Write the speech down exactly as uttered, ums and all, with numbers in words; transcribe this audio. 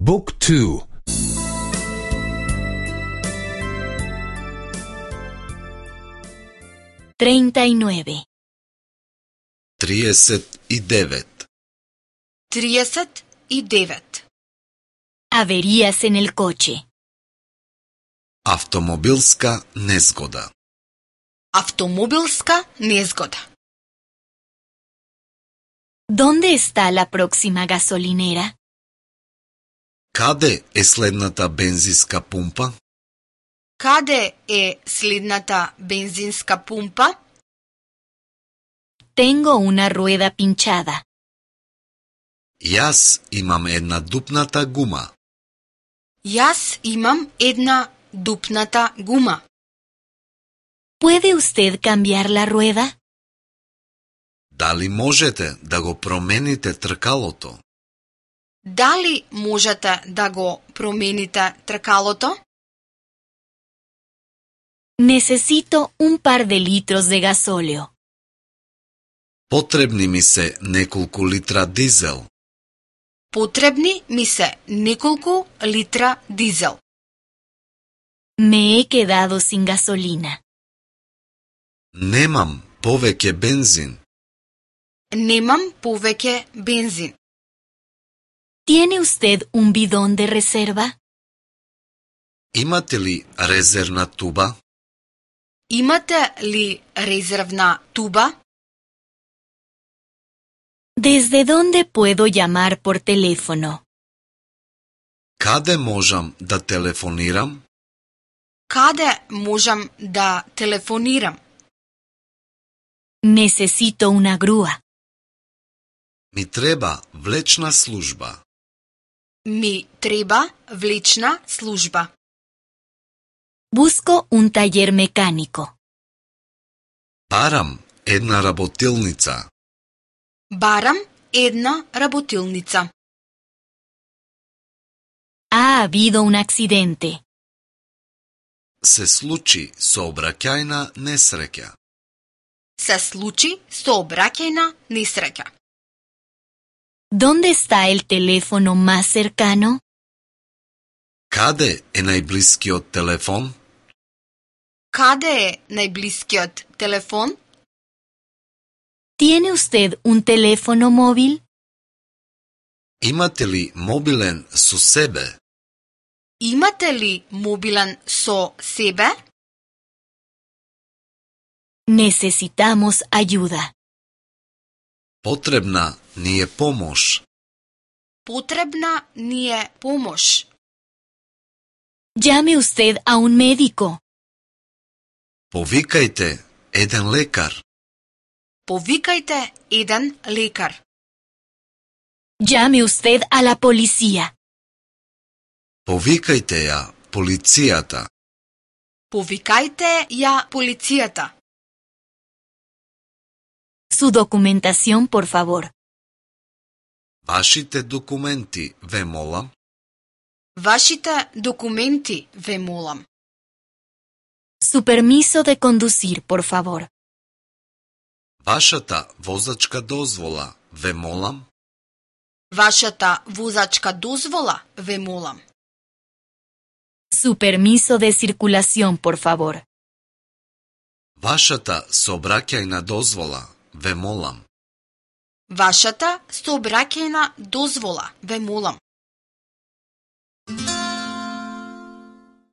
Book two. treinta y nueve. триесет и девет. trideset i devet. Averías en el coche. Автомобилска незгода. Автомобилска незгода. ¿Dónde está la próxima gasolinera? Каде е следната бензинска пумпа? Каде е следната бензинска пумпа? Tengo una rueda pinchada. Јас имам една дупната гума. Јас имам една дупната гума. ¿Puede usted cambiar la rueda? Дали можете да го промените тркалото? Дали можете да го промените тркалото? Necesito un par de litros de gasóleo. Потребни ми се неколку литра дизел. Потребни ми се неколку литра дизел. Me he quedado sin gasolina. Немам повеќе бензин. Немам повеќе бензин. ¿Tiene usted un bidón de reserva? Имате ли резервна туба? Имате ли резервна туба? ¿Desde dónde puedo llamar por teléfono? Каде можам да телефонирам? Каде можам да телефонирам? Necesito una grúa. Ми треба влечна служба. Ми треба влечна служба. Busco un taller mecánico. Барам една работилница. Барам една работилница. Ha habido un accidente. Се случи сообраќајна несреќа. Се случи сообраќајна несреќа. ¿Dónde está el teléfono más cercano? Каде е најблискиот телефон? Каде е најблискиот телефон? ¿Tiene usted un teléfono móvil? Имате ли мобилен со себе? Имате ли мобилен со себе? Necesitamos ayuda. Потребна ни е помош. Потребна ни е помош. Llame usted a un médico. Повикајте еден лекар. Повикајте еден лекар. Llame usted a la policía. Повикајте ја полицијата. Повикајте ја полицијата. Su documentación, por favor. Вашите документи, ве молам. Вашите документи, ве молам. Su permiso de conducir, por favor. Вашата возачка дозвола, ве молам. Вашата возачка дозвола, ве молам. Su permiso de circulación, por favor. Вашата сообраќајна дозвола, ве молам. Вашата сообраќајна дозвола, ве молам.